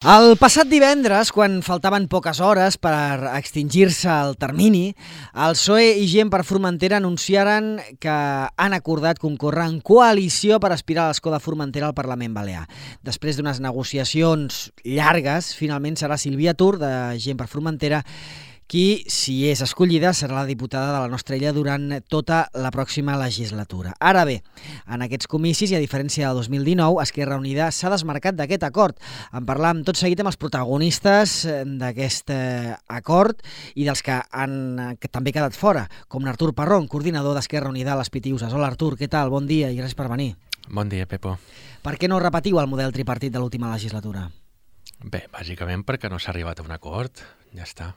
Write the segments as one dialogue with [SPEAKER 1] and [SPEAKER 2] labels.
[SPEAKER 1] El passat divendres, quan faltaven poques hores per extingir-se el termini, el PSOE i Gent per Formentera anunciaren que han acordat concórrer en coalició per aspirar a l'escó de Formentera al Parlament Balear. Després d'unes negociacions llargues, finalment serà Sílvia Tur, de Gent per Formentera, qui, si és escollida, serà la diputada de la nostra illa durant tota la pròxima legislatura. Ara bé, en aquests comicis, i a diferència del 2019, Esquerra Unida s'ha desmarcat d'aquest acord. En parlam tot seguit amb els protagonistes d'aquest acord i dels que han també quedat fora, com l'Artur Parrón, coordinador d'Esquerra Unida a les Pitiuses. Hola Artur, què tal? Bon dia i gràcies per venir.
[SPEAKER 2] Bon dia, Pepo.
[SPEAKER 1] Per què no repetiu el model tripartit de l'última legislatura?
[SPEAKER 2] Bé, bàsicament perquè no s'ha arribat a un acord, ja està.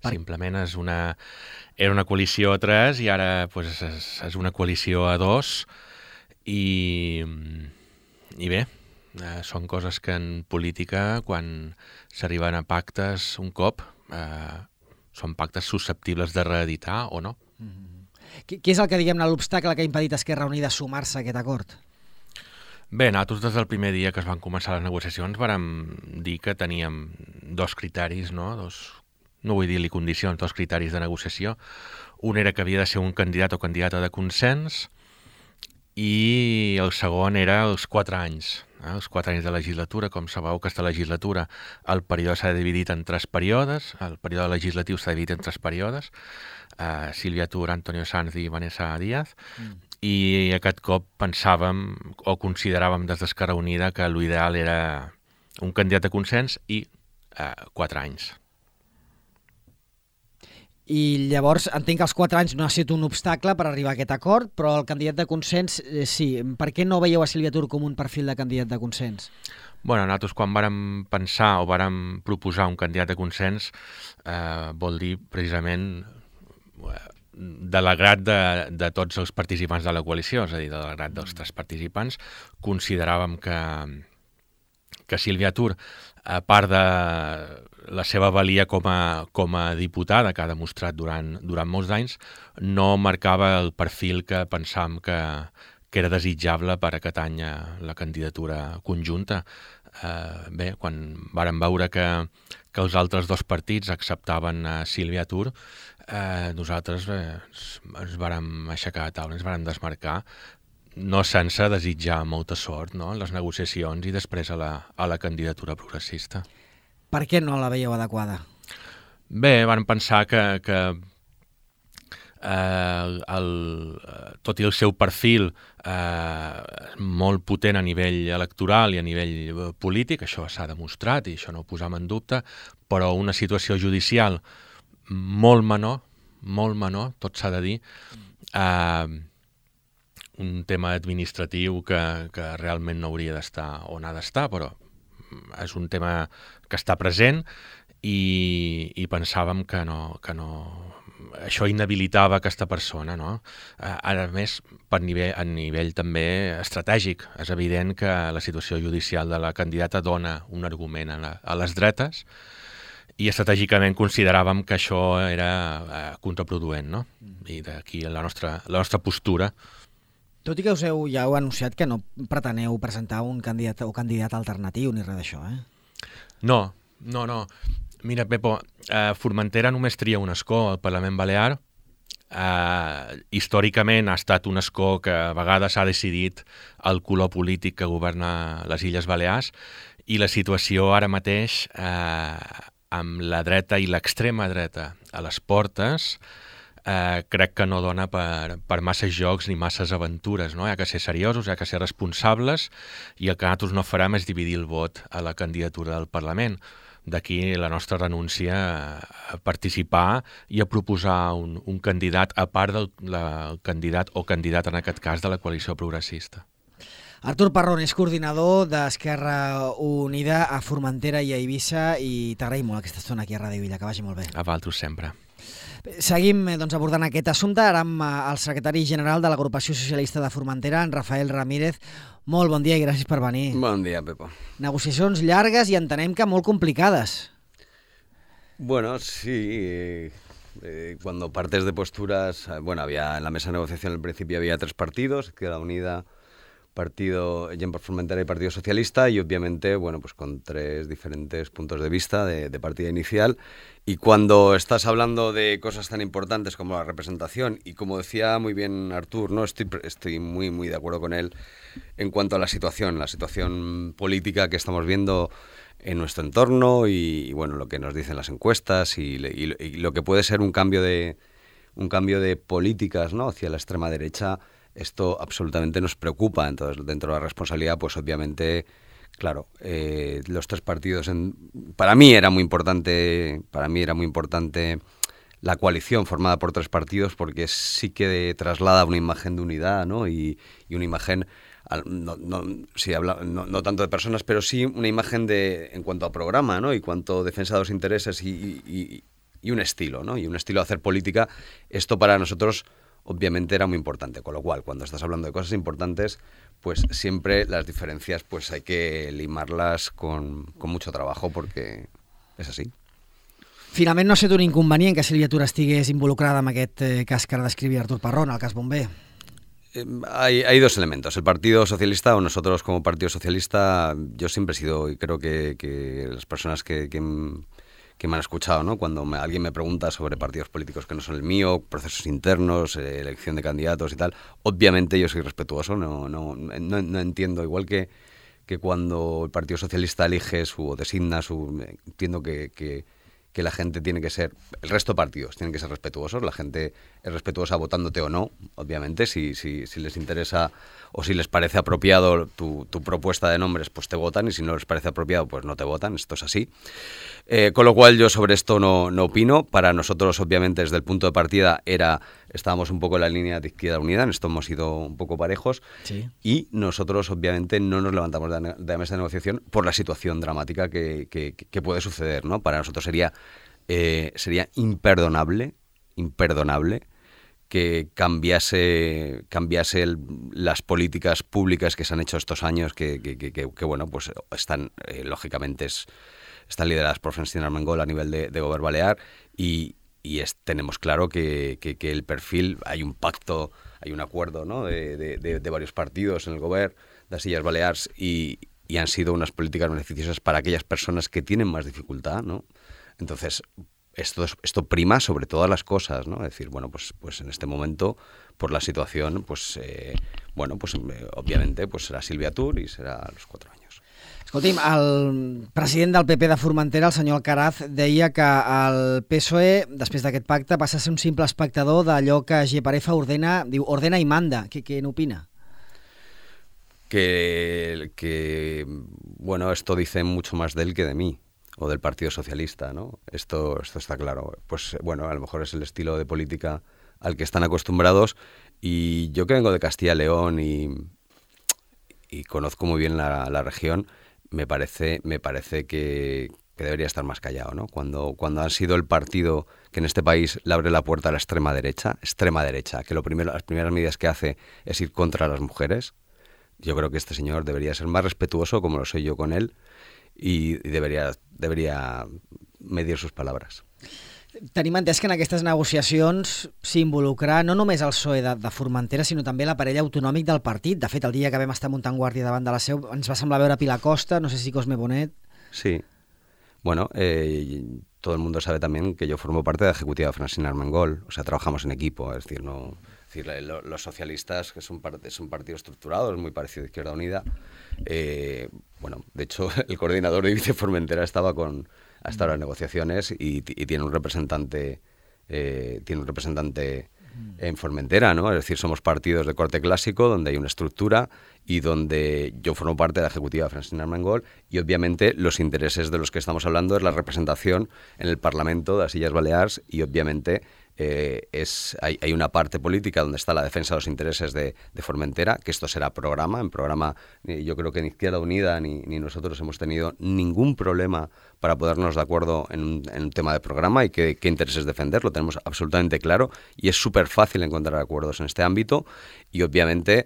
[SPEAKER 2] Simplement era una coalició a 3 i ara pues, és una coalició a 2 i bé, són coses que en política, quan s'arriben a pactes un cop, són pactes susceptibles de reeditar o no.
[SPEAKER 1] Què és el que, diguem-ne, l'obstacle que ha impedit a Esquerra Unida sumar-se a aquest acord?
[SPEAKER 2] Bé, nosaltres des del primer dia que es van començar les negociacions vàrem dir que teníem dos criteris, no vull dir-li condicions, dos criteris de negociació. Un era que havia de ser un candidat o candidata de consens i el segon era els 4 anys. Els 4 anys de legislatura. Com sabeu, aquesta legislatura el període s'ha dividit en 3 períodes, el període legislatiu s'ha dividit en 3 períodes, Sílvia Tur, Antonio Sanz i Vanessa Díaz, i aquest cop pensàvem o consideràvem des d'Esquerra Unida que l'ideal era un candidat de consens i 4 anys.
[SPEAKER 1] I llavors entenc que els 4 anys no ha estat un obstacle per arribar a aquest acord, però el candidat de consens sí. Per què no veieu a Sílvia Tur com un perfil de candidat de consens?
[SPEAKER 2] Bueno, nosaltres quan vàrem pensar o vàrem proposar un candidat de consens vol dir precisament de l'agrat de tots els participants de la coalició, és a dir, de l'agrat dels 3 participants, consideràvem que Sílvia Tur, a part de la seva valia com a diputada que ha demostrat durant molts anys, no marcava el perfil que pensàvem que era desitjable per aquest any la candidatura conjunta. Bé, quan vàrem veure que els altres 2 partits acceptaven Sílvia Tur, nosaltres ens vàrem aixecar a taula, ens vàrem desmarcar, no sense desitjar molta sort, no?, en les negociacions i després a la candidatura progressista.
[SPEAKER 1] Per què no la veieu adequada?
[SPEAKER 2] Bé, vam pensar que tot i el seu perfil molt potent a nivell electoral i a nivell polític, això s'ha demostrat i això no ho posam en dubte, però una situació judicial molt menor, tot s'ha de dir, un tema administratiu que realment no hauria d'estar on ha d'estar, però és un tema que està present i pensàvem que no, això inhabilitava aquesta persona, no? Ara més, a nivell també estratègic. És evident que la situació judicial de la candidata dona un argument a les dretes i estratègicament consideràvem que això era contraproduent, no? I d'aquí la nostra postura.
[SPEAKER 1] Tot i que ja heu anunciat que no preteneu presentar un candidat o candidat alternatiu ni res d'això, eh?
[SPEAKER 2] No. Mira, Pepo, Formentera només tria un escó al Parlament Balear. Històricament ha estat un escó que a vegades ha decidit el color polític que governa les Illes Balears i la situació ara mateix amb la dreta i l'extrema dreta a les portes crec que no dona per masses jocs ni masses aventures, no? Hi ha que ser seriosos, hi ha que ser responsables i el que nosaltres no farem és dividir el vot a la candidatura del Parlament. D'aquí la nostra renúncia a participar i a proposar un candidat a part del candidat o candidata, en aquest cas, de la coalició progressista.
[SPEAKER 1] Artur Parrón és coordinador d'Esquerra Unida a Formentera i a Eivissa i t'agraïm molt aquesta estona aquí a Ràdio Illa, que vagi molt bé.
[SPEAKER 2] A vosaltres sempre.
[SPEAKER 1] Seguim abordant aquest assumpte, ara amb el secretari general de l'Agrupació Socialista de Formentera, en Rafael Ramírez. Molt bon dia i gràcies per venir.
[SPEAKER 3] Bon dia, Pepo.
[SPEAKER 1] Negociacions llargues i entenem que molt complicades.
[SPEAKER 3] Bueno, sí. Cuando partes de posturas, en la mesa de negociación al principio había 3 partidos, Izquierda Unida, Gent per Formentera y Partido Socialista, y obviamente, bueno, pues con 3 diferentes puntos de vista de partida inicial. Y cuando estás hablando de cosas tan importantes como la representación, y como decía muy bien Artur, ¿no? Estoy muy, muy de acuerdo con él en cuanto a la situación política que estamos viendo en nuestro entorno y bueno, lo que nos dicen las encuestas y lo que puede ser un cambio de políticas, ¿no? Hacia la extrema derecha. Esto absolutamente nos preocupa. Entonces, dentro de la responsabilidad, pues obviamente, claro, los 3 partidos, para mí era muy importante la coalición formada por 3 partidos, porque sí que traslada una imagen de unidad, ¿no? Y una imagen, no tanto de personas, pero sí una imagen en cuanto a programa, ¿no? Y cuanto a defensa de los intereses y un estilo, ¿no? Y un estilo de hacer política. Esto para nosotros obviamente era muy importante, con lo cual cuando estás hablando de cosas importantes, pues siempre las diferencias pues hay que limarlas con mucho trabajo, porque és així.
[SPEAKER 1] Finalment no ha estat un inconvenient que Sílvia Tura estigués involucrada en aquest cas que ara descrivia Artur Parrón, el cas Bomber.
[SPEAKER 3] Hay 2 elementos. El Partido Socialista, o nosotros como Partido Socialista, yo siempre he sido, y creo que las personas que me han escuchado, ¿no? Cuando alguien me pregunta sobre partidos políticos que no son el mío, procesos internos, elección de candidatos y tal, obviamente yo soy respetuoso, no entiendo, igual que cuando el Partido Socialista elige o designa entiendo que la gente tiene que ser, el resto de partidos tienen que ser respetuosos, la gente es respetuosa votándote o no, obviamente, si les interesa o si les parece apropiado tu propuesta de nombres, pues te votan, y si no les parece apropiado, pues no te votan, esto es así. Con lo cual yo sobre esto no opino. Para nosotros, obviamente, desde el punto de partida estábamos un poco en la línea de Izquierda Unida, en esto hemos sido un poco parejos, sí. Y nosotros obviamente no nos levantamos de la mesa de negociación por la situación dramática que puede suceder, ¿no? Para nosotros sería imperdonable que cambiase las políticas públicas que se han hecho estos años, que bueno, pues están lógicamente están lideradas por Francina Armengol a nivel de Govern Balear, y tenemos claro que el perfil, hay un pacto, hay un acuerdo, ¿no? de varios partidos en el Govern de las Illes Balears, y han sido unas políticas beneficiosas para aquellas personas que tienen más dificultad, ¿no? Entonces, esto prima sobre todas las cosas, ¿no? Es decir, bueno, pues en este momento, por la situación, pues obviamente pues serà Sílvia Tura i serà a los 4 años.
[SPEAKER 1] Escolti'm, el president del PP de Formentera, el senyor Alcaraz, deia que el PSOE, després d'aquest pacte, passa a ser un simple espectador d'allò que Geparefa ordena i manda. Què n'opina?
[SPEAKER 3] Bueno, esto dice mucho más de él que de mí, o del Partido Socialista, ¿no? Esto está claro. Pues bueno, a lo mejor es el estilo de política al que están acostumbrados, y yo que vengo de Castilla y León y conozco muy bien la región, me parece que debería estar más callado, ¿no? Cuando han sido el partido que en este país le abre la puerta a la extrema derecha, que las primeras medidas que hace es ir contra las mujeres, yo creo que este señor debería ser más respetuoso, como lo soy yo con él, y debería medir sus palabras.
[SPEAKER 1] Tenim entès que en aquestes negociacions s'involucra no només el PSOE de Formentera, sinó també l'aparell autonòmic del partit. De fet, el dia que vam estar muntant guàrdia davant de la seu ens va semblar veure Pilar Costa, no sé si Cosme Bonet.
[SPEAKER 3] Sí. Bueno, todo el mundo sabe también que yo formo parte de la ejecutiva de Francina Armengol, o sea, trabajamos en equipo, es decir, los socialistas, que son partido estructurado, es muy parecido a Izquierda Unida. Bueno, de hecho, el coordinador de Vice Formentera estaba hasta las negociaciones y tiene un representante en Formentera, ¿no? Es decir, somos partidos de corte clásico donde hay una estructura y donde yo formo parte de la ejecutiva de Francina Armengol, y obviamente los intereses de los que estamos hablando es la representación en el Parlamento de las Illes Balears, y obviamente hay una parte política donde está la defensa de los intereses de Formentera, que esto será en programa. Yo creo que ni Izquierda Unida ni nosotros hemos tenido ningún problema para ponernos de acuerdo en un tema de programa y qué intereses defender, lo tenemos absolutamente claro, y es súper fácil encontrar acuerdos en este ámbito, y obviamente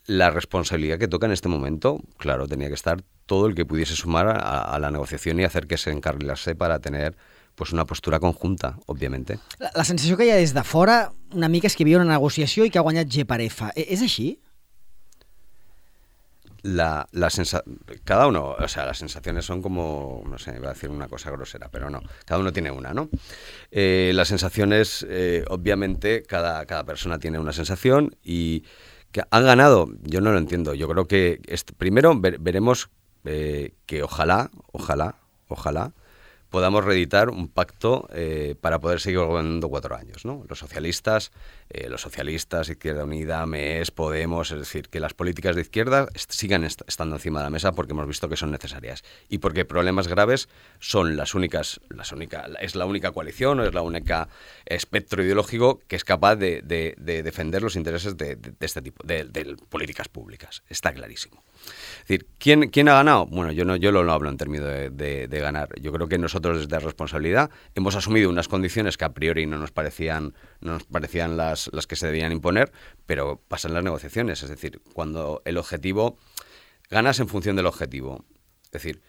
[SPEAKER 3] la responsabilidad que toca en este momento, claro, tenía que estar todo el que pudiese sumar a la negociación y hacer que se encarrilase para tener pues una postura conjunta, òbviamente.
[SPEAKER 1] La sensació que hi ha des de fora una mica és que hi havia una negociació i que ha guanyat Geparefa. És així?
[SPEAKER 3] cada uno, o sea, las sensaciones son como, no sé, iba a decir una cosa grosera, pero no, cada uno tiene una, ¿no? Las sensaciones, obviamente, cada persona tiene una sensación y que han ganado, yo no lo entiendo. Yo creo que primero veremos que ojalá podamos reeditar un pacto para poder seguir gobernando 4 años, ¿no? Los socialistas, Izquierda Unida, MES, Podemos, es decir, que las políticas de izquierda sigan estando encima de la mesa porque hemos visto que son necesarias y porque problemas graves son es la única coalición o es la única espectro ideológico que es capaz de defender los intereses de este tipo, de políticas públicas. Está clarísimo. Es decir, ¿quién ha ganado? Bueno, yo no hablo en términos de ganar. Yo creo que nosotros desde responsabilidad hemos asumido unas condiciones que a priori no nos parecían las que se debían imponer, pero pasan las negociaciones. Es decir, cuando el objetivo, ganas en función del objetivo. Es decir,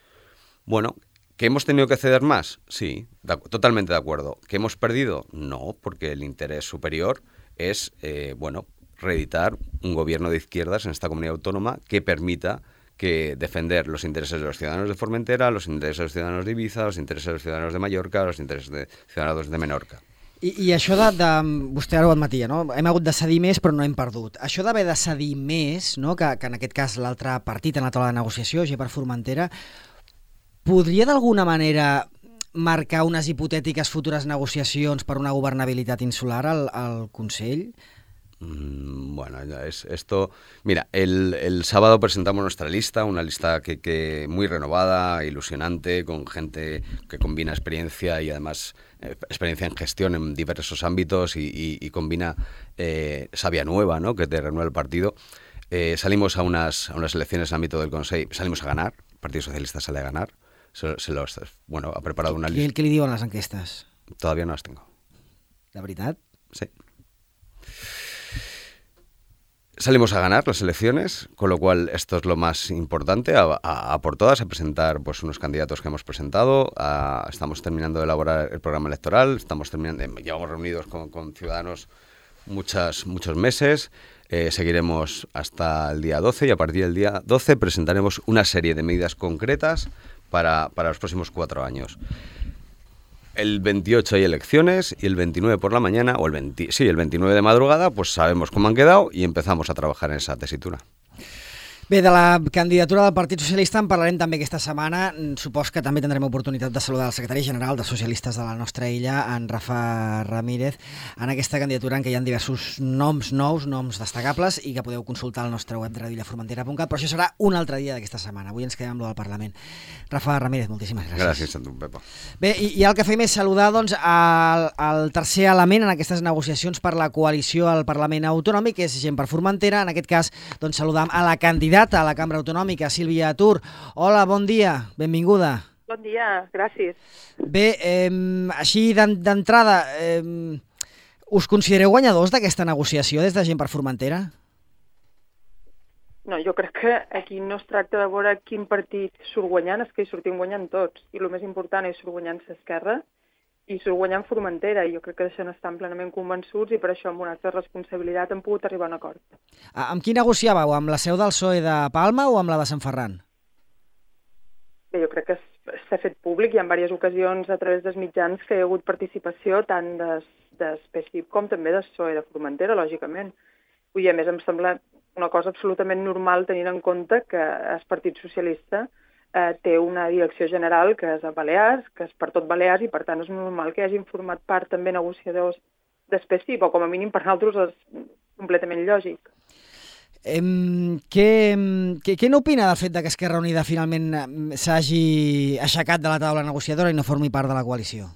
[SPEAKER 3] bueno, ¿que hemos tenido que ceder más? Sí, totalmente de acuerdo. ¿Que hemos perdido? No, porque el interés superior es, reeditar un gobierno de izquierdas en esta comunidad autónoma que permita defender los intereses de los ciudadanos de Formentera, los intereses de los ciudadanos de Ibiza, los intereses de los ciudadanos de Mallorca, los intereses de ciudadanos de Menorca.
[SPEAKER 1] I això vostè ara ho admetia, no? Hem hagut de cedir més però no hem perdut. Això d'haver de cedir més, no? que en aquest cas l'altre partit en la taula de negociació, Gent per Formentera, podria d'alguna manera marcar unes hipotètiques futures negociacions per una governabilitat insular al Consell?
[SPEAKER 3] Bueno, esto... Mira, el sábado presentamos nuestra lista, una lista que muy renovada, ilusionante, con gente que combina experiencia y además experiencia en gestión en diversos ámbitos y combina savia nueva, ¿no? Que te renueva el partido. Salimos a unas elecciones en el ámbito del Consejo, salimos a ganar, el Partido Socialista sale a ganar, ha preparado una lista.
[SPEAKER 1] Què li diuen les enquestes?
[SPEAKER 3] Todavía no las tengo.
[SPEAKER 1] De veritat?
[SPEAKER 3] Sí. Salimos a ganar las elecciones, con lo cual esto es lo más importante, a por todas, a presentar pues unos candidatos que hemos presentado, estamos terminando de elaborar el programa electoral, llevamos reunidos con ciudadanos muchos meses, seguiremos hasta el día 12 y a partir del día 12 presentaremos una serie de medidas concretas para los próximos 4 años. El 28 hay elecciones y el 29 por la mañana, el 29 de madrugada, pues sabemos cómo han quedado y empezamos a trabajar en esa tesitura.
[SPEAKER 1] Bé, de la candidatura del Partit Socialista en parlarem també aquesta setmana. Supos que també tindrem oportunitat de saludar el secretari general de Socialistes de la nostra illa, en Rafa Ramírez, en aquesta candidatura en què hi ha diversos noms nous, noms destacables, i que podeu consultar al nostre web de radioillaformentera.cat, però això serà un altre dia d'aquesta setmana. Avui ens quedem amb lo del Parlament. Rafa Ramírez, moltíssimes gràcies.
[SPEAKER 3] Gràcies a tu, Pepa.
[SPEAKER 1] Bé, i el que fem és saludar doncs, el tercer element en aquestes negociacions per la coalició al Parlament Autonòmic, que és Gent per Formentera. En aquest cas, doncs, saludam a la candidata a la Cambra Autonòmica, Sílvia Tur. Hola, bon dia, benvinguda.
[SPEAKER 4] Bon dia, gràcies.
[SPEAKER 1] Bé, així d'entrada, us considereu guanyadors d'aquesta negociació des de Gent per Formentera?
[SPEAKER 4] No, jo crec que aquí no es tracta de veure quin partit surt guanyant, és que hi sortim guanyant tots. I el més important és surt guanyant l'esquerra i surt guanyant Formentera. I jo crec que d'això n'estan plenament convençuts i per això amb una altra responsabilitat hem pogut arribar a un acord.
[SPEAKER 1] Amb qui negociàveu? Amb la seu del PSOE de Palma o amb la de Sant Ferran?
[SPEAKER 4] Bé, jo crec que s'ha fet públic i en diverses ocasions a través dels mitjans que hi ha hagut participació tant d'SPCIP com també del PSOE de Formentera, lògicament. I a més em sembla una cosa absolutament normal tenint en compte que el Partit Socialista té una direcció general que és a Balears, que és per tot Balears, i per tant és normal que hagin format part també negociadors d'SPCIP, o com a mínim per nosaltres és completament lògic.
[SPEAKER 1] Què n'opina del fet que Esquerra Unida finalment s'hagi aixecat de la taula negociadora i no formi part de la coalició?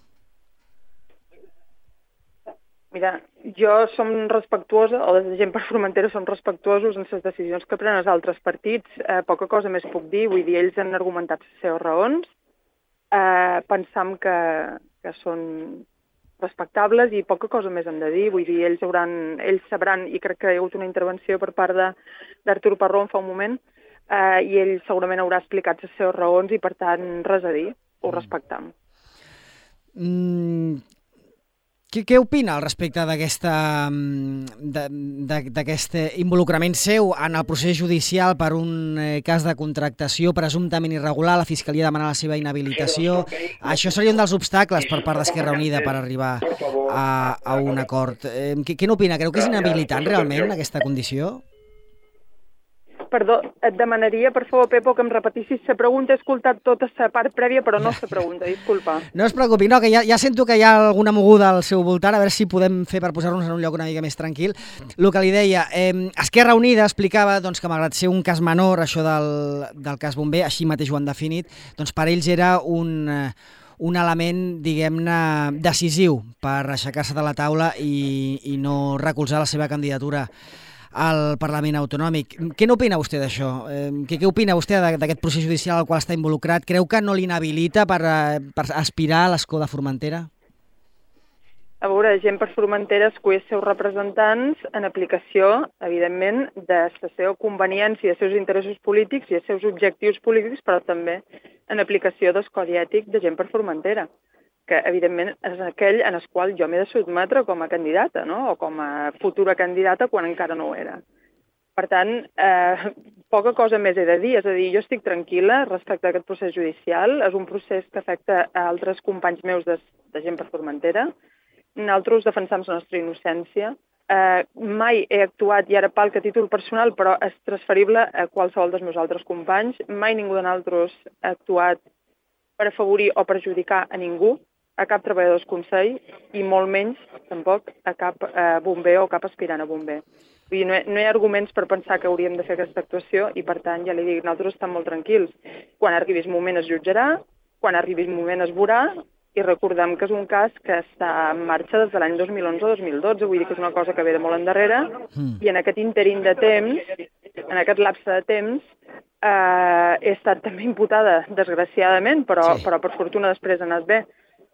[SPEAKER 4] Mira, jo som respectuosa, o des de Gent per Formentera som respectuosos en les decisions que prenen els altres partits. Poca cosa més puc dir, vull dir, ells han argumentat les seves raons, pensam que són respectables i poca cosa més hem de dir, vull dir, ells sabran, i crec que hi ha hagut una intervenció per part d'Artur Parrón fa un moment, i ell segurament haurà explicat les seves raons i per tant res a dir, ho respectam.
[SPEAKER 1] Què opina al respecte d'aquest involucrament seu en el procés judicial per un cas de contractació presumptament irregular? La Fiscalia demana la seva inhabilitació. Això seria un dels obstacles per part d'Esquerra Unida per arribar a un acord. Què n'opina? Creu que és inhabilitant realment aquesta condició?
[SPEAKER 4] Perdó, et demanaria, per favor, Pepo, que em repetissis la pregunta. He escoltat tota la part prèvia, però no la pregunta, disculpa.
[SPEAKER 1] No es preocupi, no, que ja sento que hi ha alguna moguda al seu voltant, a veure si podem fer per posar-nos en un lloc una mica més tranquil. El que li deia, Esquerra Unida explicava doncs, que malgrat ser un cas menor, això del cas Bomber, així mateix ho han definit, doncs per ells era un element, diguem-ne, decisiu per aixecar-se de la taula i no recolzar la seva candidatura al Parlament Autonòmic. Què n'opina vostè d'això? Què opina vostè d'aquest procés judicial al qual està involucrat? Creu que no l'inhabilita per aspirar a l'escó de Formentera?
[SPEAKER 4] A veure, Gent per Formentera escull els seus representants en aplicació, evidentment, de la seva conveniència, dels seus interessos polítics i dels seus objectius polítics, però també en aplicació del codi ètic de Gent per Formentera, que evidentment és aquell en el qual jo m'he de sotmetre com a candidata, no? O com a futura candidata quan encara no ho era. Per tant, poca cosa més he de dir, és a dir, jo estic tranquil·la respecte a aquest procés judicial, és un procés que afecta a altres companys meus de Gent per Formentera, nosaltres defensam la nostra innocència, mai he actuat, i ara palc a títol personal, però és transferible a qualsevol dels meus altres companys, mai ningú de nosaltres ha actuat per afavorir o perjudicar a ningú, a cap treballador del Consell i molt menys, tampoc, a cap bomber o cap aspirant a bomber. Vull dir, no hi ha arguments per pensar que hauríem de fer aquesta actuació i, per tant, ja li dic, nosaltres estem molt tranquils. Quan arribi el moment es jutjarà, quan arribi el moment es veurà i recordem que és un cas que està en marxa des de l'any 2011 o 2012, vull dir que és una cosa que ve de molt endarrere i en aquest interín de temps, en aquest lapse de temps, he estat també imputada, desgraciadament, però per fortuna després ha anat bé,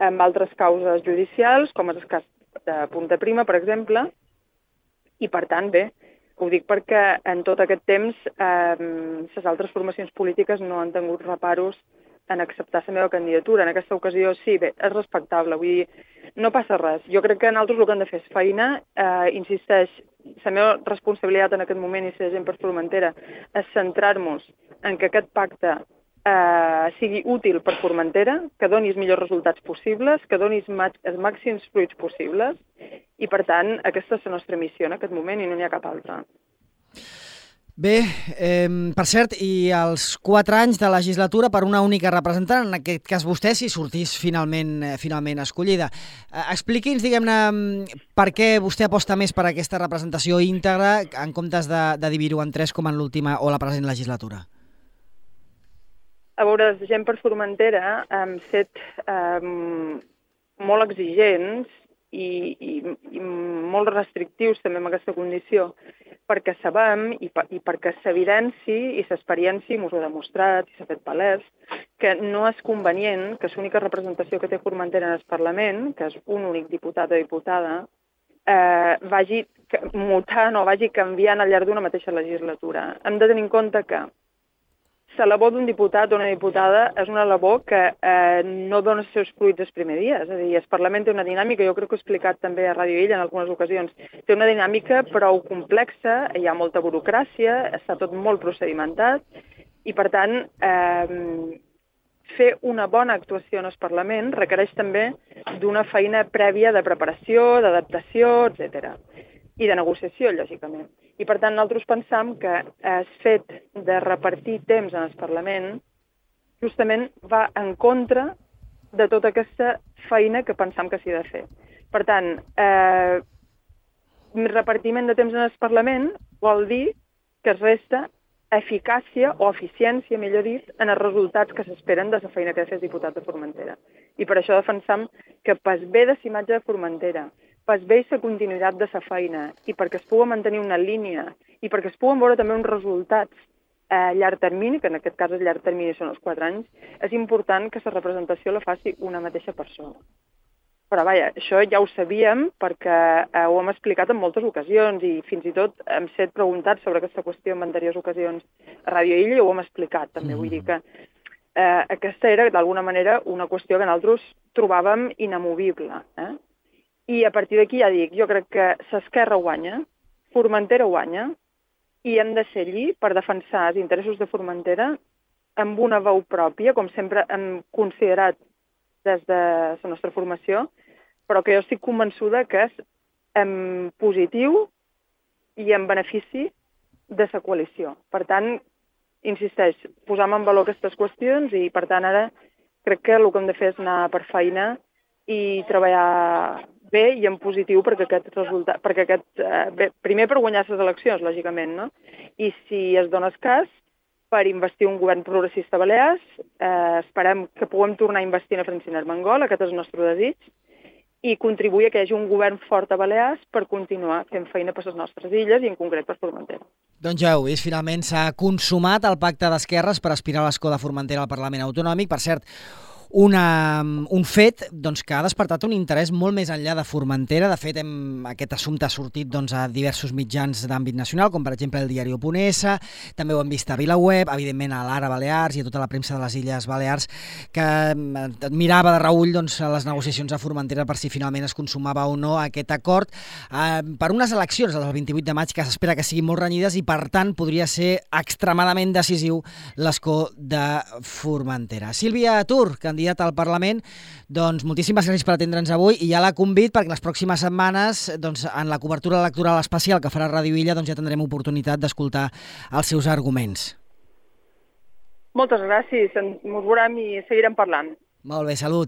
[SPEAKER 4] amb altres causes judicials, com és el cas de Punta Prima, per exemple, i per tant, bé, ho dic perquè en tot aquest temps les altres formacions polítiques no han tingut reparos en acceptar la meva candidatura. En aquesta ocasió, sí, bé, és respectable, vull dir, no passa res. Jo crec que nosaltres el que hem de fer és feina, insisteix, la meva responsabilitat en aquest moment i ser Gent per Formentera és centrar-nos en que aquest pacte sigui útil per Formentera, que doni els millors resultats possibles, que doni els màxims fruits possibles i, per tant, aquesta és la nostra missió en aquest moment i no n'hi ha cap altra.
[SPEAKER 1] Bé, per cert, i els 4 anys de legislatura per una única representant, en aquest cas vostè, si sortís finalment escollida. Expliqui'ns, diguem-ne, per què vostè aposta més per aquesta representació íntegra en comptes de dividir-ho en 3 com en l'última o la present legislatura.
[SPEAKER 4] A veure, Gent per Formentera hem set molt exigents i molt restrictius també amb aquesta condició, perquè sabem i perquè s'evidenci i s'experiència, i m'ho ha demostrat i s'ha fet palès, que no és convenient que l'única representació que té Formentera en el Parlament, que és un únic diputat o diputada, vagi mutant o vagi canviant al llarg d'una mateixa legislatura. Hem de tenir en compte que la labor d'un diputat o una diputada és una labor que no dona els seus fruits els primers dies. És a dir, el Parlament té una dinàmica, jo crec que ho he explicat també a Ràdio Illa en algunes ocasions, té una dinàmica prou complexa, hi ha molta burocràcia, està tot molt procedimentat i, per tant, fer una bona actuació en el Parlament requereix també d'una feina prèvia de preparació, d'adaptació, etc. I de negociació, lògicament. I, per tant, nosaltres pensam que el fet de repartir temps en el Parlament justament va en contra de tota aquesta feina que pensam que s'hi ha de fer. Per tant, repartiment de temps en el Parlament vol dir que es resta eficàcia o eficiència, millor dit, en els resultats que s'esperen de la feina que ha de fer el diputat de Formentera. I per això defensam que pas bé de la imatge de Formentera, pas bé la continuïtat de la feina i perquè es pugui mantenir una línia i perquè es puguen veure també uns resultats a llarg termini, que en aquest cas el llarg termini són els 4 anys, és important que la representació la faci una mateixa persona. Però vaja, això ja ho sabíem perquè ho hem explicat en moltes ocasions i fins i tot hem set preguntats sobre aquesta qüestió en anteriors ocasions a Ràdio Illa i ho hem explicat també. Vull dir que aquesta era d'alguna manera una qüestió que nosaltres trobàvem inamovible. I a partir d'aquí ja dic, jo crec que s'Esquerra guanya, Formentera guanya, i hem de ser allí per defensar els interessos de Formentera amb una veu pròpia, com sempre hem considerat des de la nostra formació, però que jo estic convençuda que és en positiu i en benefici de la coalició. Per tant, insisteix, posam en valor aquestes qüestions i, per tant, ara crec que el que hem de fer és anar per feina i treballar bé i en positiu perquè aquest resultat, primer per guanyar les eleccions, lògicament, no? I si es dona el cas, per investir un govern progressista a Balears, esperem que puguem tornar a investir en Francina Armengol, aquest és el nostre desig, i contribuir a que hi hagi un govern fort a Balears per continuar fent feina per les nostres illes i en concret per Formentera.
[SPEAKER 1] Doncs ja heu vist, finalment s'ha consumat el pacte d'esquerres per aspirar a l'escó de Formentera al Parlament Autonòmic. Per cert, un fet doncs, que ha despertat un interès molt més enllà de Formentera. De fet, aquest assumpte ha sortit doncs, a diversos mitjans d'àmbit nacional, com per exemple el diari Oponès, també ho hem vist a VilaWeb, evidentment a l'Ara Balears i a tota la premsa de les Illes Balears, que mirava de reüll doncs, les negociacions a Formentera per si finalment es consumava o no aquest acord per unes eleccions del 28 de maig que s'espera que siguin molt renyides i per tant podria ser extremadament decisiu l'escó de Formentera. Sílvia Tur, candidat al Parlament, doncs moltíssimes gràcies per atendre'ns avui i ja la convid perquè les pròximes setmanes doncs, en la cobertura electoral especial que farà Ràdio Illa doncs, ja tindrem oportunitat d'escoltar els seus arguments.
[SPEAKER 4] Moltes gràcies, ens veurem i seguirem parlant.
[SPEAKER 1] Molt bé, salut.